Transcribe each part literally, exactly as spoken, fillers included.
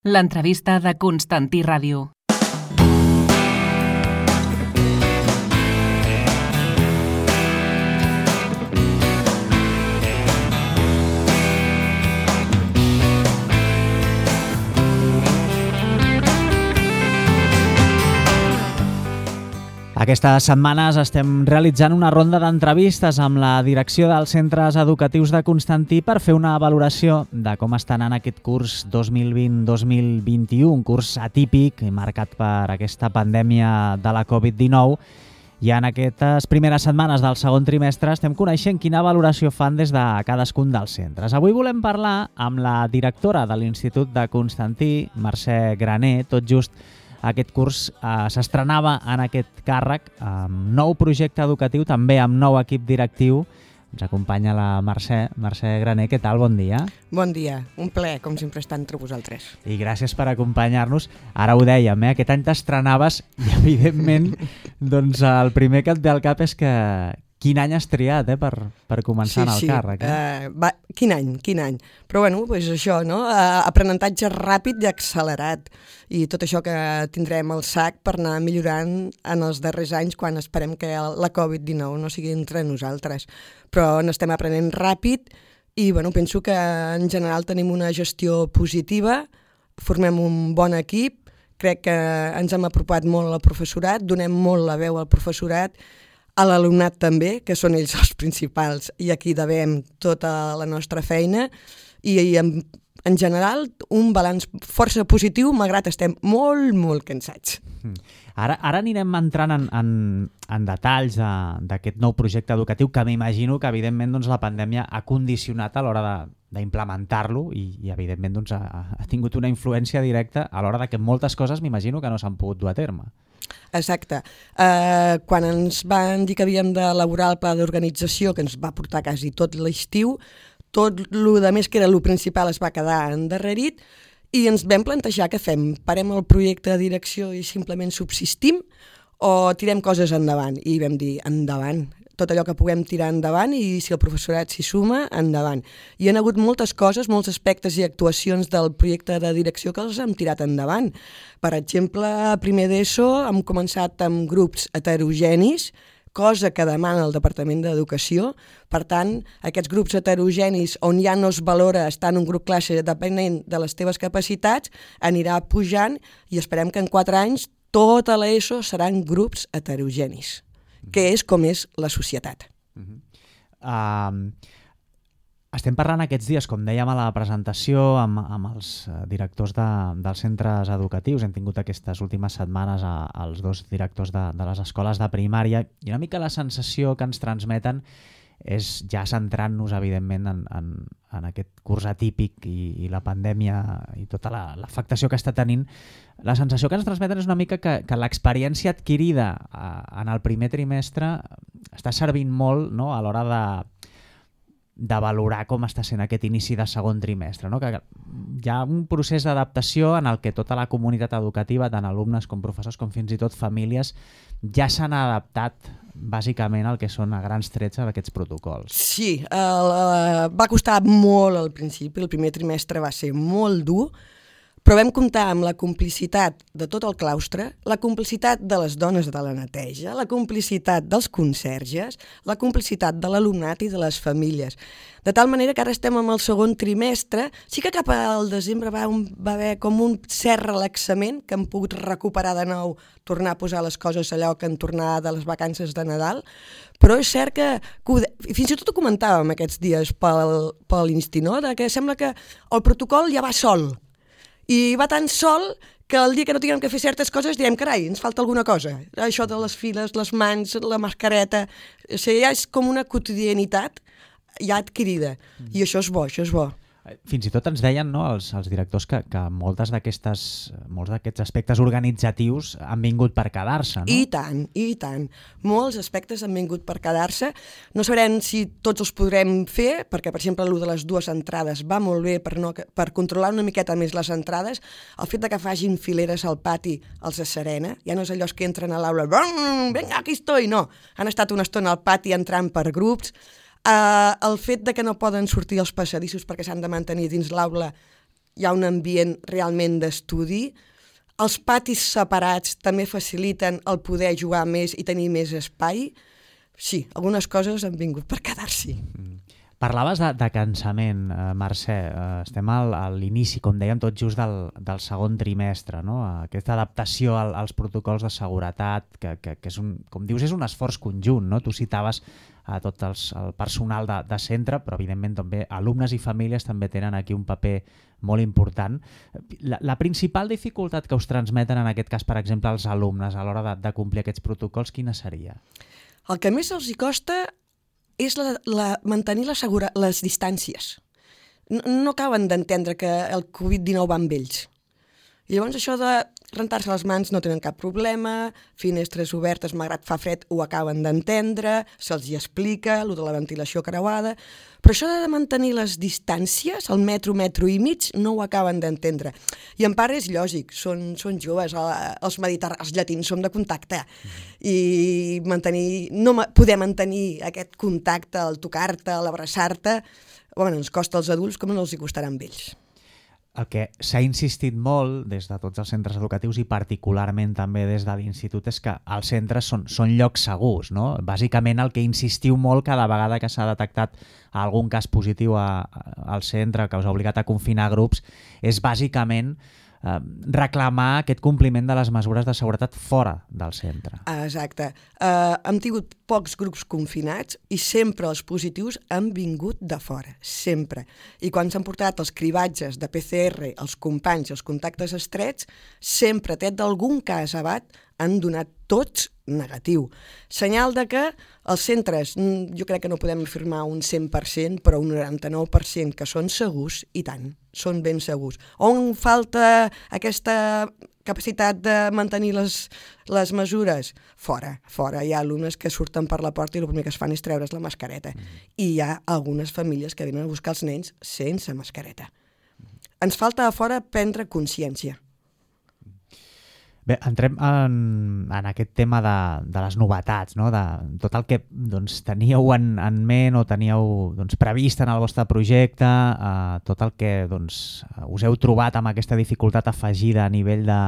L'entrevista de Constantí Ràdio. Aquestes setmanes estem realitzant una ronda d'entrevistes amb la direcció dels centres educatius de Constantí per fer una valoració de com està anant aquest curs dos mil vint dos mil vint-i-u, un curs atípic marcat per aquesta pandèmia de la covid dinou. I en aquestes primeres setmanes del segon trimestre estem coneixent quina valoració fan des de cadascun dels centres. Avui volem parlar amb la directora de l'Institut de Constantí, Mercè Graner. Tot just aquest curs eh, s'estrenava en aquest càrrec amb nou projecte educatiu, també amb nou equip directiu. Ens acompanya la Mercè. Mercè Graner, què tal? Bon dia. Bon dia. Un plaer, com sempre, estar entre vosaltres. I gràcies per acompanyar-nos. Ara ho dèiem, eh? Aquest any t'estrenaves i, evidentment, doncs, el primer que et ve al cap és que quin any has triat eh, per, per començar sí, en el sí. càrrec. Eh? Uh, va, quin any, quin any. Però bueno, pues això, no? Uh, aprenentatge ràpid i accelerat. I tot això que tindrem al sac per anar millorant en els darrers anys quan esperem que la covid dinou no sigui entre nosaltres. Però n'estem aprenent ràpid i bueno, penso que en general tenim una gestió positiva, formem un bon equip, crec que ens hem apropat molt al professorat, donem molt la veu al professorat, a l'alumnat també, que són ells els principals, i aquí devem tota la nostra feina, i, i en, en general un balanç força positiu, malgrat estem molt, molt cansats. Ara, ara anirem entrant en, en, en detalls de, d'aquest nou projecte educatiu, que m'imagino que evidentment doncs, la pandèmia ha condicionat a l'hora de, d'implementar-lo i, i evidentment doncs, ha, ha tingut una influència directa a l'hora de que moltes coses m'imagino que no s'han pogut dur a terme. Exacte. Uh, quan ens van dir que havíem d'elaborar el pla d'organització, que ens va portar quasi tot l'estiu, tot el de més que era el principal es va quedar endarrerit i ens vam plantejar què fem. Parem el projecte de direcció i simplement subsistim o tirem coses endavant? I vam dir endavant. Tot allò que puguem tirar endavant i si el professorat s'hi suma, endavant. Hi ha hagut moltes coses, molts aspectes i actuacions del projecte de direcció que els hem tirat endavant. Per exemple, a primer d'ESO hem començat amb grups heterogenis, cosa que demana el Departament d'Educació. Per tant, aquests grups heterogenis on ja no es valora estar en un grup classe depenent de les teves capacitats, anirà pujant i esperem que en quatre anys tota l'ESO seran grups heterogenis, que és com és la societat. Uh-huh. Uh, estem parlant aquests dies, com dèiem a la presentació, amb, amb els directors de, dels centres educatius. Hem tingut aquestes últimes setmanes a, als dos directors de, de les escoles de primària i una mica la sensació que ens transmeten és, ja centrant-nos evidentment en, en, en aquest curs atípic i, i la pandèmia i tota la, l'afectació que està tenint, la sensació que ens transmeten és una mica que, que l'experiència adquirida a, en el primer trimestre està servint molt, no?, a l'hora de, de valorar com està sent aquest inici de segon trimestre, no? Que hi ha un procés d'adaptació en el que tota la comunitat educativa, tant alumnes com professors com fins i tot famílies, ja s'han adaptat bàsicament al que són a grans trets aquests protocols. Sí, el, va costar molt al principi, el primer trimestre va ser molt dur, però vam comptar amb la complicitat de tot el claustre, la complicitat de les dones de la neteja, la complicitat dels conserges, la complicitat de l'alumnat i de les famílies. De tal manera que ara estem amb el segon trimestre, sí que cap al desembre va, un, va haver com un cert relaxament, que hem pogut recuperar de nou, tornar a posar les coses allò que en tornar de les vacances de Nadal, però és cert que, que ho, fins i tot ho comentàvem aquests dies pel, pel Insti, no? De que sembla que el protocol ja va sol, i va tan sol que el dia que no tinguem que fer certes coses direm, carai, ens falta alguna cosa. Això de les files, les mans, la mascareta, o sigui, ja és com una quotidianitat ja adquirida. Mm. I això és bo, això és bo. Fins i tot ens deien, no, els, els directors que, que moltes d'aquestes, molts d'aquests aspectes organitzatius han vingut per quedar-se, no? I tant, i tant. Molts aspectes han vingut per quedar-se. No sabrem si tots els podrem fer, perquè, per exemple, el de les dues entrades va molt bé per, no, per controlar una miqueta més les entrades. El fet de que facin fileres al pati els asserena. Ja no és allò que entren a l'aula, vinga, aquí estoy, no. Han estat una estona al pati entrant per grups. Uh, el fet de que no poden sortir els passadissos perquè s'han de mantenir dins l'aula hi ha un ambient realment d'estudi. Els patis separats també faciliten el poder jugar més i tenir més espai. Sí, algunes coses han vingut per quedar-s'hi. Mm. Parlaves de, de cansament, eh, Mercè. Eh, estem al, a l'inici, com dèiem, tot just del, del segon trimestre, no? Aquesta adaptació al, als protocols de seguretat, que, que, que és un, com dius, és un esforç conjunt, no? Tu citaves a tot els, el personal de, de centre, però evidentment també alumnes i famílies també tenen aquí un paper molt important. La, la principal dificultat que us transmeten en aquest cas, per exemple, els alumnes a l'hora de, de complir aquests protocols, quina seria? El que més els hi costa és la, la, mantenir la segura, les distàncies. No, no acaben d'entendre que el covid dinou va amb ells. I llavors això de rentar-se les mans no tenen cap problema, finestres obertes, malgrat fa fred, ho acaben d'entendre, se'ls hi explica, allò de la ventilació creuada, però això de mantenir les distàncies, el metro, metro i mig, no ho acaben d'entendre. I en part és lògic, són, són joves, els mediterranis, els llatins som de contacte, i mantenir, no poder mantenir aquest contacte, el tocar-te, l'abraçar-te, bueno, ens costa als adults com no els hi costarà amb ells. El que s'ha insistit molt des de tots els centres educatius i particularment també des de l'institut és que els centres són, són llocs segurs, no? Bàsicament el que insistiu molt cada vegada que s'ha detectat algun cas positiu a, a, al centre que us ha obligat a confinar grups és bàsicament eh, reclamar aquest compliment de les mesures de seguretat fora del centre. Exacte. Uh, hem tingut pocs grups confinats i sempre els positius han vingut de fora, sempre. I quan s'han portat els cribatges de P C R, els companys, els contactes estrets, sempre, tret d'algun cas abat, han donat tots negatiu. Senyal de que els centres, jo crec que no podem afirmar un cent per cent, però un noranta-nou per cent que són segurs, i tant, són ben segurs. On falta aquesta capacitat de mantenir les, les mesures? Fora, fora. Hi ha alumnes que surten per la porta i el primer que es fan és treure's la mascareta. I hi ha algunes famílies que venen a buscar els nens sense mascareta. Ens falta a fora prendre consciència. Bé, entrem en, en aquest tema de, de les novetats, no? De tot el que doncs, teníeu en, en ment o teníeu doncs, previst en el vostre projecte, eh, tot el que doncs, us heu trobat amb aquesta dificultat afegida a nivell de,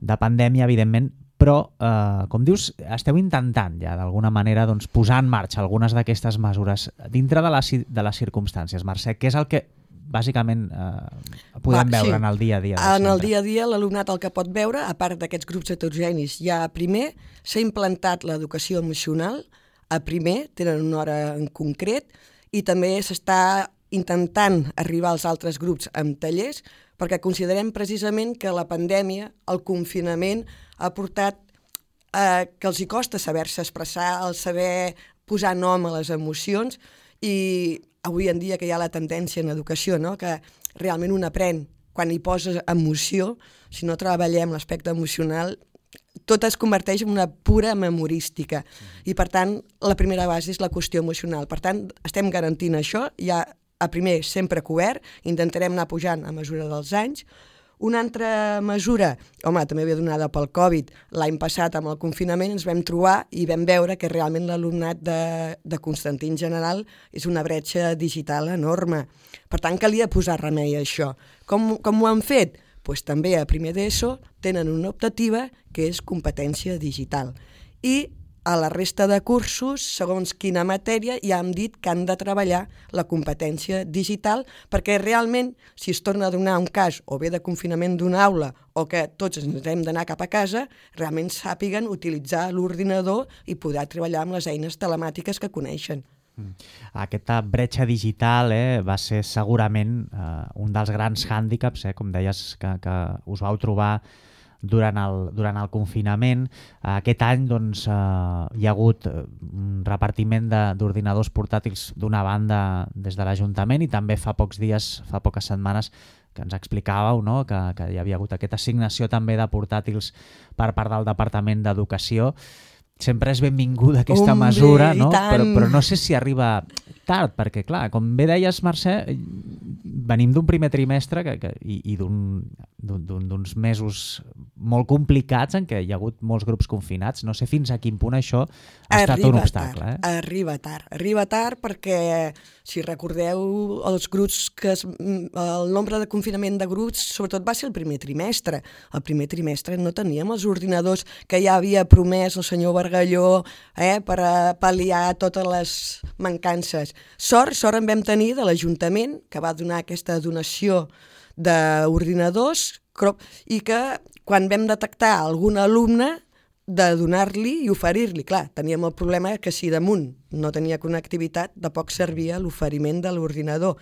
de pandèmia, evidentment, però, eh, com dius, esteu intentant ja d'alguna manera doncs, posar en marxa algunes d'aquestes mesures dintre de les, de les circumstàncies. Mercè, què és el que bàsicament eh, podem Va, veure sí. en el dia a dia? En el dia a dia l'alumnat el que pot veure, a part d'aquests grups heterogenis, ja primer s'ha implantat l'educació emocional, a primer tenen una hora en concret, i també s'està intentant arribar als altres grups amb tallers, perquè considerem precisament que la pandèmia, el confinament, ha portat eh, que els hi costa saber-se expressar, el saber posar nom a les emocions, i avui en dia que hi ha la tendència en educació, no? Que realment un aprèn quan hi poses emoció, si no treballem l'aspecte emocional, tot es converteix en una pura memorística. I per tant, la primera base és la qüestió emocional. Per tant, estem garantint això, ja a primer sempre cobert, intentarem anar pujant a mesura dels anys. Una altra mesura, home, també havia donada pel Covid, l'any passat amb el confinament ens vam trobar i vam veure que realment l'alumnat de, de Constantí en general és una bretxa digital enorme. Per tant, calia posar remei a això. Com, com ho han fet? Pues també a primer d'ESO tenen una optativa que és competència digital. I a la resta de cursos, segons quina matèria, ja hem dit que han de treballar la competència digital, perquè realment, si es torna a donar un cas, o bé de confinament d'una aula, o que tots ens hem d'anar cap a casa, realment sàpiguen utilitzar l'ordinador i poder treballar amb les eines telemàtiques que coneixen. Aquesta bretxa digital eh, va ser segurament eh, un dels grans hàndicaps, eh, com deies, que, que us vau trobar durant el, durant el confinament. Aquest any doncs, eh, hi ha hagut un repartiment d'ordinadors portàtils d'una banda des de l'Ajuntament i també fa pocs dies, fa poques setmanes, que ens explicàveu, no? que, que hi havia hagut aquesta assignació també de portàtils per part del Departament d'Educació. Sempre és benvinguda aquesta Hombre, mesura, no? però, però no sé si arriba tard, perquè clar, com bé deies, Mercè, venim d'un primer trimestre que, que, i, i d'uns mesos molt complicats en què hi ha hagut molts grups confinats. No sé fins a quin punt això ha arriba estat un obstacle. Tard, eh? Arriba tard. Arriba tard perquè, si recordeu, els grups que es, el nombre de confinament de grups sobretot va ser el primer trimestre. El primer trimestre no teníem els ordinadors que ja havia promès el senyor Bargalló eh, per a pal·liar totes les mancances. Sort, sort en vam tenir de l'Ajuntament, que va donar aquesta donació d'ordinadors i que quan vam detectar algun alumne de donar-li i oferir-li. Clar, teníem el problema que si damunt no tenia connectivitat, de poc servia l'oferiment de l'ordinador.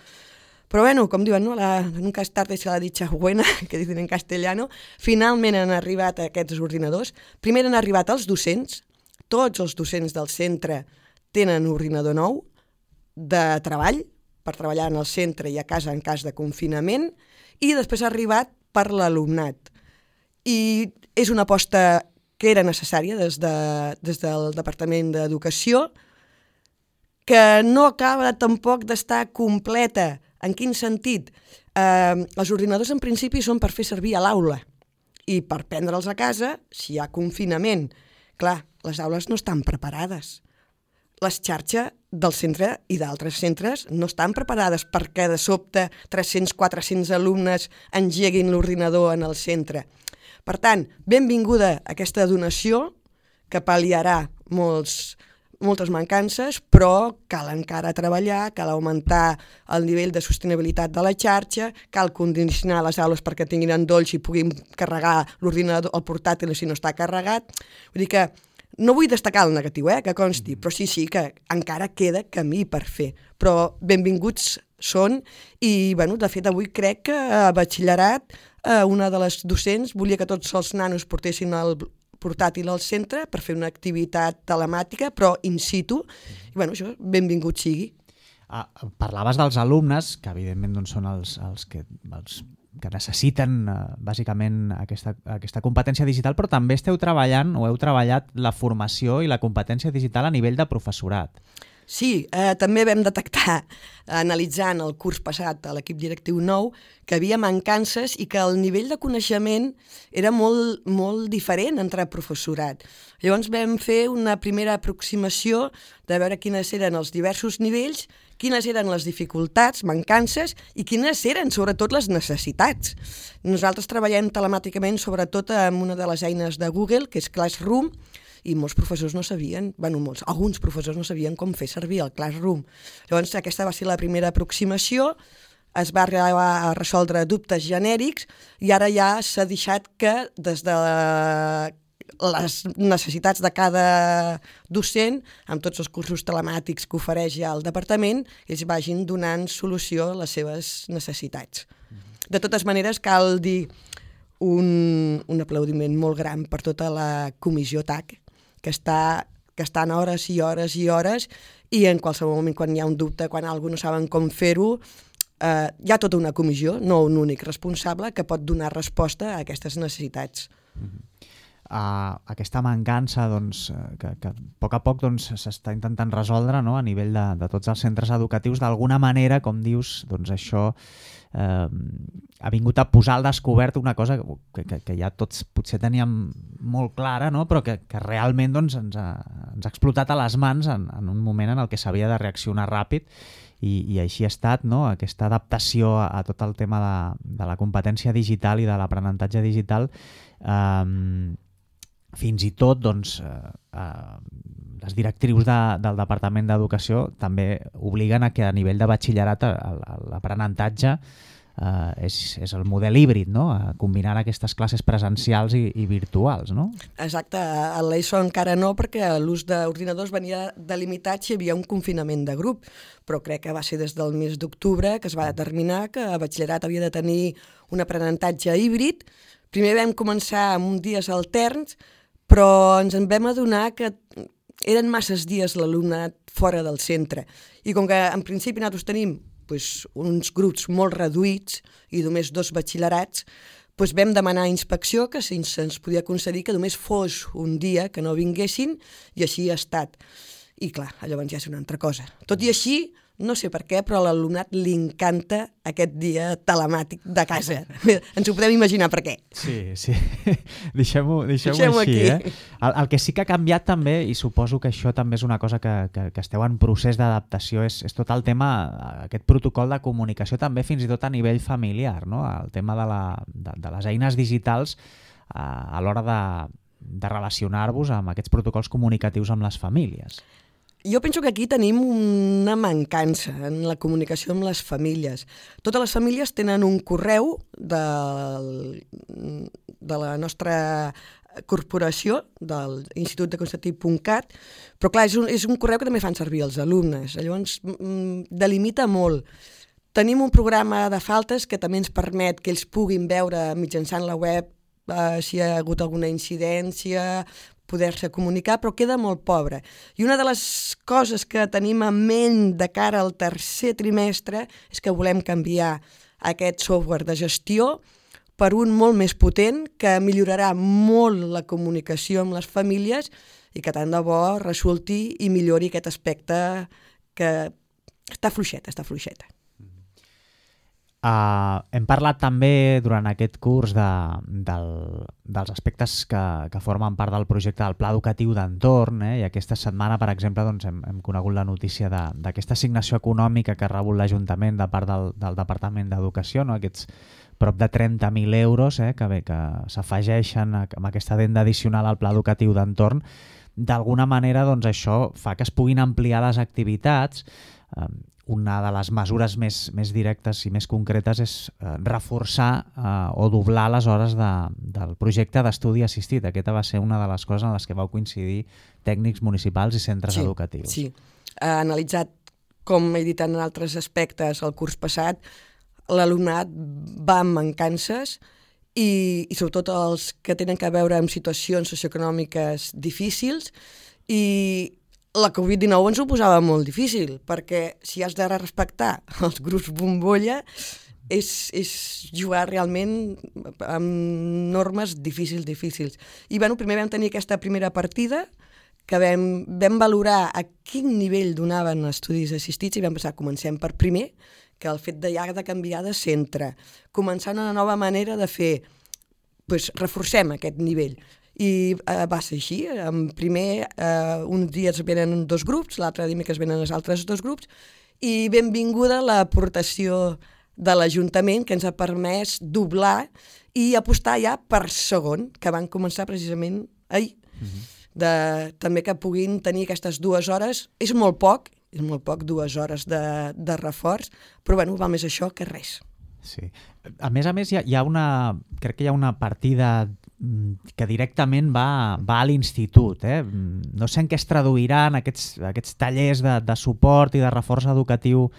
Però bueno, com diuen, no? La, nunca es tarde se la dicha buena, que dicen en castellano, finalment han arribat aquests ordinadors. Primer han arribat els docents, tots els docents del centre tenen ordinador nou de treball, per treballar en el centre i a casa en cas de confinament, i després ha arribat per l'alumnat. I és una aposta que era necessària des, de, des del Departament d'Educació, que no acaba tampoc d'estar completa. En quin sentit? Eh, els ordinadors en principi són per fer servir a l'aula i per prendre'ls a casa si hi ha confinament. Clar, les aules no estan preparades. Les xarxes del centre i d'altres centres no estan preparades perquè de sobte tres-cents a quatre-cents alumnes engeguin l'ordinador en el centre. Per tant, benvinguda aquesta donació que pal·liarà molts, moltes mancances, però cal encara treballar, cal augmentar el nivell de sostenibilitat de la xarxa, cal condicionar les aules perquè tinguin endolls i puguin carregar l'ordinador, el portàtil si no està carregat. Vull dir que no vull destacar el negatiu, eh, que consti, però sí, sí, que encara queda camí per fer. Però benvinguts són i, bueno, de fet, avui crec que a batxillerat eh, una de les docents volia que tots els nanos portessin el portàtil al centre per fer una activitat telemàtica, però in situ. I, bueno, això, benvingut sigui. Ah, parlaves dels alumnes, que evidentment doncs, són els, els que... Els... que necessiten eh, bàsicament aquesta, aquesta competència digital, però també esteu treballant o heu treballat la formació i la competència digital a nivell de professorat. Sí, eh, també vam detectar, analitzant el curs passat a l'equip directiu nou, que havia mancances i que el nivell de coneixement era molt, molt diferent entre professorat. Llavors vam fer una primera aproximació de veure quines eren els diversos nivells, quines eren les dificultats, mancances i quines eren, sobretot, les necessitats. Nosaltres treballem telemàticament, sobretot, amb una de les eines de Google, que és Classroom, i molts professors no sabien, bueno, molts, alguns professors no sabien com fer servir el Classroom. Llavors, aquesta va ser la primera aproximació, es va arribar a resoldre dubtes genèrics i ara ja s'ha deixat que des de les necessitats de cada docent, amb tots els cursos telemàtics que ofereix ja el departament, ells vagin donant solució a les seves necessitats. De totes maneres, cal dir un, un aplaudiment molt gran per tota la comissió T A C, que està, que estan hores i hores i hores, i en qualsevol moment, quan hi ha un dubte, quan algú no saben com fer-ho, eh, hi ha tota una comissió, no un únic responsable, que pot donar resposta a aquestes necessitats. Mm-hmm. Uh, aquesta mancança doncs, que, que a poc a poc doncs, s'està intentant resoldre, no? A nivell de, de tots els centres educatius, d'alguna manera, com dius, doncs això eh, ha vingut a posar al descobert una cosa que, que, que ja tots potser teníem molt clara, no? Però que, que realment doncs, ens, ha, ens ha explotat a les mans en, en un moment en el que s'havia de reaccionar ràpid i, i així ha estat, no? Aquesta adaptació a, a tot el tema de, de la competència digital i de l'aprenentatge digital. eh, Fins i tot doncs, eh, eh, les directrius de, del Departament d'Educació també obliguen a que a nivell de batxillerat l'aprenentatge eh, és, és el model híbrid, no? Combinant aquestes classes presencials i, i virtuals. No? Exacte, a l'ESO encara no, perquè l'ús d'ordinadors venia delimitat si hi havia un confinament de grup, però crec que va ser des del mes d'octubre que es va determinar que a batxillerat havia de tenir un aprenentatge híbrid. Primer vam començar amb uns dies alterns, però ens en vam adonar que eren masses dies l'alumnat fora del centre. I com que en principi nosaltres tenim pues, uns grups molt reduïts i només dos batxillerats, pues, vam demanar a inspecció que si se'ns podia concedir que només fos un dia que no vinguessin, i així ha estat. I clar, llavors ja és una altra cosa. Tot i així, no sé per què, però a l'alumnat li encanta aquest dia telemàtic de casa. Ens ho podem imaginar per què. Sí, sí. Deixem-ho deixem Deixem-ho així. aquí. Eh? El, el que sí que ha canviat també, i suposo que això també és una cosa que, que, que esteu en procés d'adaptació, és, és tot el tema, aquest protocol de comunicació també fins i tot a nivell familiar, no? El tema de, la, de, de les eines digitals eh, a l'hora de, de relacionar-vos amb aquests protocols comunicatius amb les famílies. Jo penso que aquí tenim una mancança en la comunicació amb les famílies. Totes les famílies tenen un correu de, de la nostra corporació, de l'Institut de Constantí punt cat, però clar, és un, és un correu que també fan servir els alumnes. Llavors, delimita molt. Tenim un programa de faltes que també ens permet que ells puguin veure mitjançant la web eh, si hi ha hagut alguna incidència, poder-se comunicar, però queda molt pobre. I una de les coses que tenim en ment de cara al tercer trimestre és que volem canviar aquest software de gestió per un molt més potent que millorarà molt la comunicació amb les famílies i que tant de bo resulti i millori aquest aspecte que està fluixet, està fluixeta. Uh, hem parlat també durant aquest curs de, del, dels aspectes que, que formen part del projecte del Pla Educatiu d'Entorn, eh? I aquesta setmana, per exemple, doncs, hem, hem conegut la notícia d'aquesta assignació econòmica que ha rebut l'Ajuntament de part del, del Departament d'Educació, no? Aquests prop de trenta mil euros eh? que, bé, que s'afegeixen amb aquesta adenda addicional al Pla Educatiu d'Entorn. D'alguna manera, doncs, això fa que es puguin ampliar les activitats. Eh, Una de les mesures més, més directes i més concretes és eh, reforçar eh, o doblar les hores de, del projecte d'estudi assistit. Aquesta va ser una de les coses en les que vau coincidir tècnics municipals i centres sí, educatius. Sí, ha analitzat, com he dit en altres aspectes el curs passat, l'alumnat va amb mancances i, i sobretot els que tenen a veure amb situacions socioeconòmiques difícils, i la covid dinou ens ho posava molt difícil, perquè si has de respectar els grups bombolla és, és jugar realment amb normes difícils, difícils. I bueno, primer vam tenir aquesta primera partida, que vam, vam valorar a quin nivell donaven estudis assistits i vam pensar, comencem per primer, que el fet de ja de canviar de centre, començant una nova manera de fer, doncs reforcem aquest nivell. I eh, va ser així. En primer, eh, uns dies venen dos grups, l'altre dimecres venen els altres dos grups, i benvinguda l'aportació de l'Ajuntament, que ens ha permès doblar i apostar ja per segon, que van començar precisament ahir. Uh-huh. De, també que puguin tenir aquestes dues hores, és molt poc, és molt poc, dues hores de, de reforç, però bueno, va més això que res. Sí. A més a més, hi ha, hi ha una, crec que hi ha una partida que directament va, va a l'institut. Eh? No sé en què es traduiran aquests, aquests tallers de, de suport i de reforç educatiu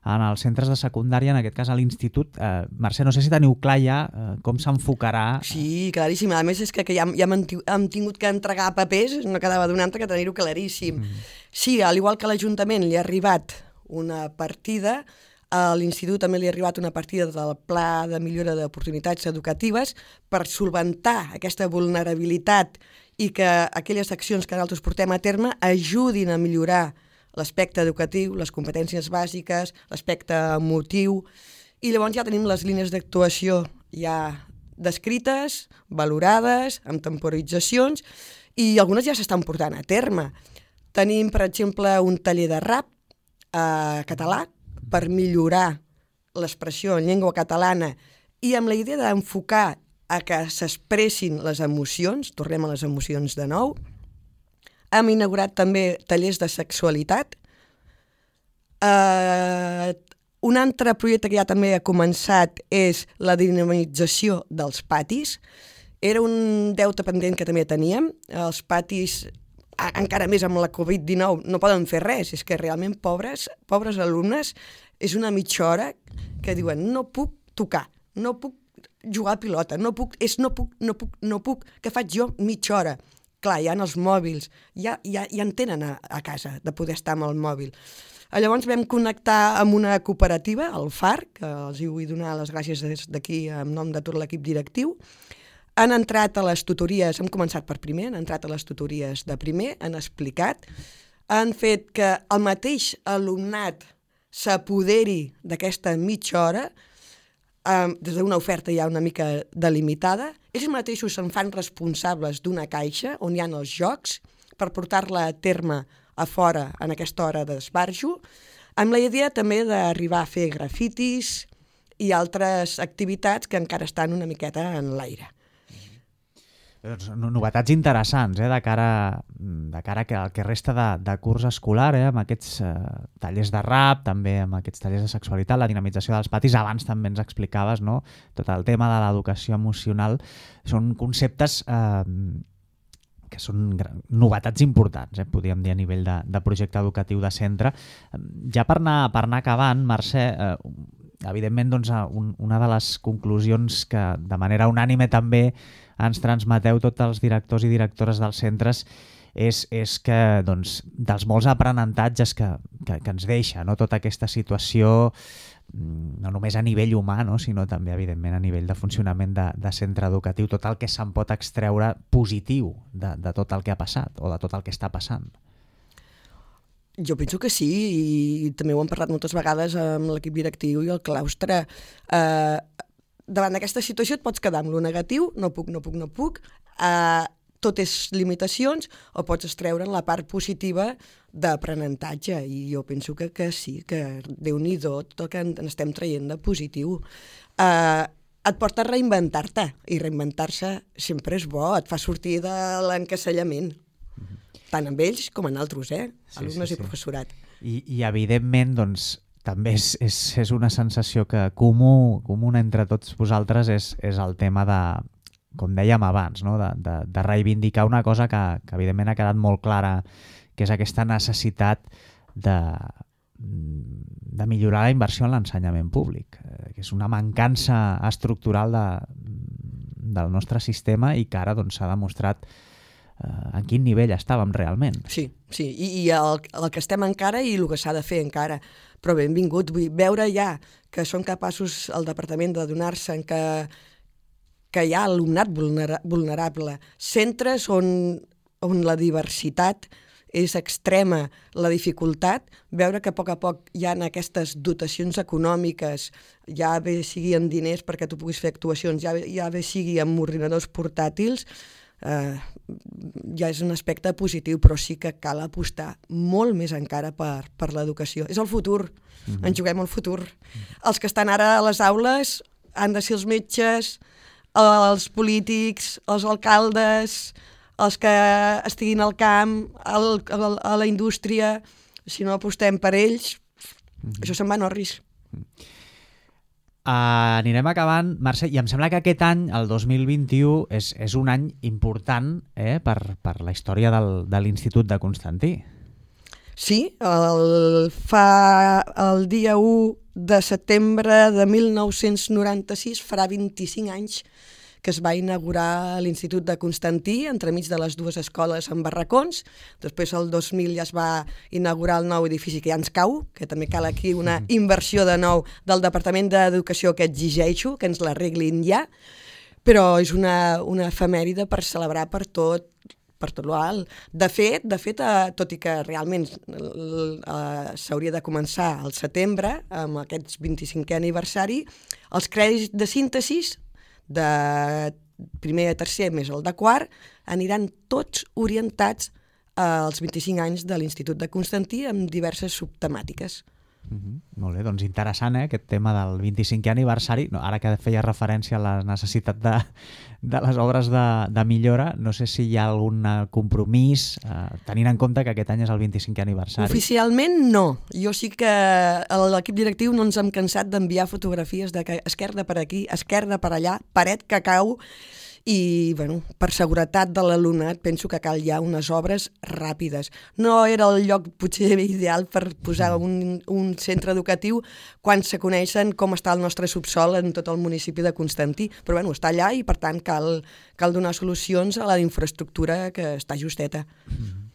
en els centres de secundària, en aquest cas a l'institut. Eh, Mercè, no sé si teniu clar ja eh, com s'enfocarà. Sí, claríssim. A més és que, que ja, ja hem, hem tingut que entregar papers, no quedava d'un altre que tenir-ho claríssim. Mm. Sí, al igual que a l'Ajuntament li ha arribat una partida, a l'Institut també li ha arribat una partida del Pla de Millora d'Oportunitats Educatives per solventar aquesta vulnerabilitat i que aquelles accions que nosaltres portem a terme ajudin a millorar l'aspecte educatiu, les competències bàsiques, l'aspecte emotiu, i llavors ja tenim les línies d'actuació ja descrites, valorades, amb temporitzacions, i algunes ja s'estan portant a terme. Tenim, per exemple, un taller de rap eh, català, per millorar l'expressió en llengua catalana i amb la idea d'enfocar a que s'expressin les emocions, tornem a les emocions de nou. Hem inaugurat també tallers de sexualitat. Uh, un altre projecte que ja també ha començat és la dinamització dels patis. Era un deute pendent que també teníem. Els patis, encara més amb la covid dinou, no poden fer res. És que realment pobres, pobres alumnes, és una mitja hora que diuen no puc tocar, no puc jugar a pilota, no puc, és no puc, no puc, no puc, què faig jo mitja hora? Clar, hi ha els mòbils, ja, ja, ja en tenen a, a casa de poder estar amb el mòbil. Llavors vam connectar amb una cooperativa, el F A R, que els hi vull donar les gràcies des d'aquí en nom de tot l'equip directiu. Han entrat a les tutories, hem començat per primer, han entrat a les tutories de primer, han explicat, han fet que el mateix alumnat s'apoderi d'aquesta mitja hora, eh, des d'una oferta ja una mica delimitada, ells mateixos se'n fan responsables d'una caixa on hi ha els jocs per portar-la a terme a fora en aquesta hora d'esbarjo, amb la idea també d'arribar a fer grafitis i altres activitats que encara estan una miqueta en l'aire. Doncs novetats interessants, eh, de cara, de cara al que resta de, de curs escolar, eh, amb aquests eh, tallers de rap, també amb aquests tallers de sexualitat, la dinamització dels patis. Abans també ens explicaves, no?, tot el tema de l'educació emocional. Són conceptes eh, que són novetats importants, eh, podríem dir, a nivell de, de projecte educatiu de centre. Ja per anar, per anar acabant, Mercè, eh, evidentment, doncs, un, una de les conclusions que de manera unànime també ens transmeteu tots els directors i directores dels centres és, és que, doncs, dels molts aprenentatges que, que, que ens deixa, no?, tota aquesta situació, no només a nivell humà, no?, sinó també, evidentment, a nivell de funcionament de, de centre educatiu, tot el que se'n pot extreure positiu de, de tot el que ha passat o de tot el que està passant. Jo penso que sí, i també ho hem parlat moltes vegades amb l'equip directiu i el claustre. Eh, davant d'aquesta situació et pots quedar amb lo negatiu, no puc, no puc, no puc, eh, tot és limitacions, o pots extreure la part positiva d'aprenentatge, i jo penso que, que sí, que Déu-n'hi-do tot el que en estem traient de positiu. Eh, et porta a reinventar-te, i reinventar-se sempre és bo, et fa sortir de l'encasellament, tant amb ells com en altres, eh? Sí, alumnes sí, sí. i professorat. I, i evidentment, doncs, també és, és, és una sensació que comú, comuna entre tots vosaltres és, és el tema de, com dèiem abans, no?, de, de, de reivindicar una cosa que, que evidentment ha quedat molt clara, que és aquesta necessitat de, de millorar la inversió en l'ensenyament públic, que és una mancança estructural de, del nostre sistema i que ara, doncs, s'ha demostrat Uh, en quin nivell estàvem realment. Sí, sí, i, i el, el que estem encara i el que s'ha de fer encara. Però benvingut, vull veure ja que són capaços el departament de donar-se en que, que hi ha alumnat vulnera, vulnerable, centres on, on la diversitat és extrema, la dificultat, veure que a poc a poc hi ha aquestes dotacions econòmiques, ja bé sigui en diners perquè tu puguis fer actuacions, ja bé, ja bé sigui amb ordinadors portàtils, Uh, ja és un aspecte positiu, però sí que cal apostar molt més encara per, per l'educació. És el futur, mm-hmm. ens juguem el futur. Mm-hmm. Els que estan ara a les aules han de ser els metges, els polítics, els alcaldes, els que estiguin al camp, al, al, a la indústria. Si no apostem per ells, mm-hmm. això se'n va en orris. Mm-hmm. Uh, anirem acabant, Mercè, i em sembla que aquest any, el dos mil vint-i-u, és, és un any important eh, per, per la història del, de l'Institut de Constantí. Sí, el, fa el dia u de setembre de mil nou-cents noranta-sis, farà vint-i-cinc anys que es va inaugurar l'Institut de Constantí, entremig de les dues escoles en barracons. Després, el dos mil, ja es va inaugurar el nou edifici que ja ens cau, que també cal aquí una inversió de nou del Departament d'Educació que exigeixo, que ens l'arreglin ja, però és una, una efemèride per celebrar per tot, per tot l'alt. De fet, de fet eh, tot i que realment eh, s'hauria de començar al setembre, amb aquests vint-i-cinquè aniversari, els crèdits de síntesis de primer a tercer més el de quart, aniran tots orientats als vint-i-cinc anys de l'Institut de Constantí amb diverses subtemàtiques. Mm-hmm. Molt bé, doncs interessant, eh, aquest tema del vint-i-cinquè aniversari. No, ara que feia referència a la necessitat de, de les obres de, de millora, no sé si hi ha algun compromís, eh, tenint en compte que aquest any és el vint-i-cinquè aniversari. Oficialment no. Jo sí que l'equip directiu no ens hem cansat d'enviar fotografies de que esquerda per aquí, esquerda per allà, paret que cau, i bueno, per seguretat de l'alumnat penso que cal ja unes obres ràpides. No era el lloc potser ideal per posar un, un centre educatiu quan se coneixen com està el nostre subsol en tot el municipi de Constantí, però bueno, està allà i per tant cal, cal donar solucions a la infraestructura que està justeta. Mm.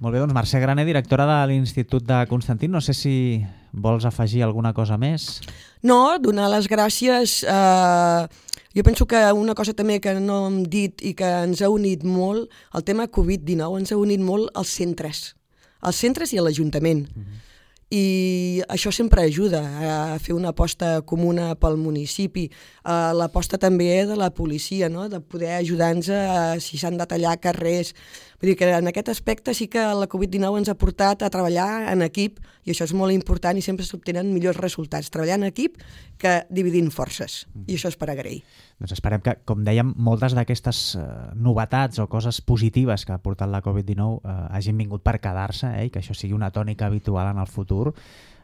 Molt bé, doncs Mercè Graner, directora de l'Institut de Constantí, no sé si vols afegir alguna cosa més? No, donar les gràcies. Eh, jo penso que una cosa també que no hem dit i que ens ha unit molt, el tema covid dinou ens ha unit molt als centres, als centres i a l'Ajuntament. Mm-hmm. i això sempre ajuda a fer una aposta comuna pel municipi, uh, l'aposta també de la policia, no? De poder ajudar-nos a, si s'han de tallar carrers. Vull dir que en aquest aspecte sí que la covid dinou ens ha portat a treballar en equip, i això és molt important i sempre s'obtenen millors resultats, treballar en equip que dividint forces, i això és per agrair. Doncs esperem que, com dèiem, moltes d'aquestes eh, novetats o coses positives que ha portat la covid dinou eh, hagin vingut per quedar-se, eh, i que això sigui una tònica habitual en el futur,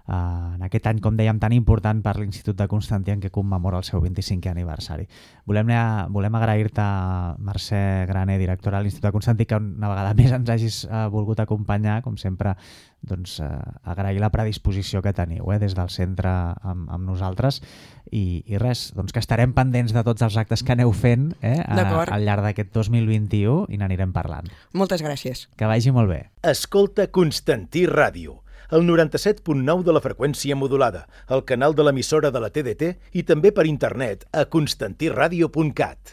Uh, en aquest any, com dèiem, tan important per l'Institut de Constantí, en què commemora el seu vint-i-cinquè aniversari. Volem, volem agrair-te, Mercè Graner, directora de l'Institut de Constantí, que una vegada més ens hagis uh, volgut acompanyar, com sempre, doncs, uh, agrair la predisposició que teniu eh, des del centre amb, amb nosaltres, i, i res, doncs que estarem pendents de tots els actes que aneu fent eh, a, al llarg d'aquest dos mil vint-i-u, i n'anirem parlant. Moltes gràcies. Que vagi molt bé. Escolta Constantí Ràdio, el noranta-set punt nou de la freqüència modulada, el canal de l'emissora de la T D T i també per internet a constantí ràdio punt cat.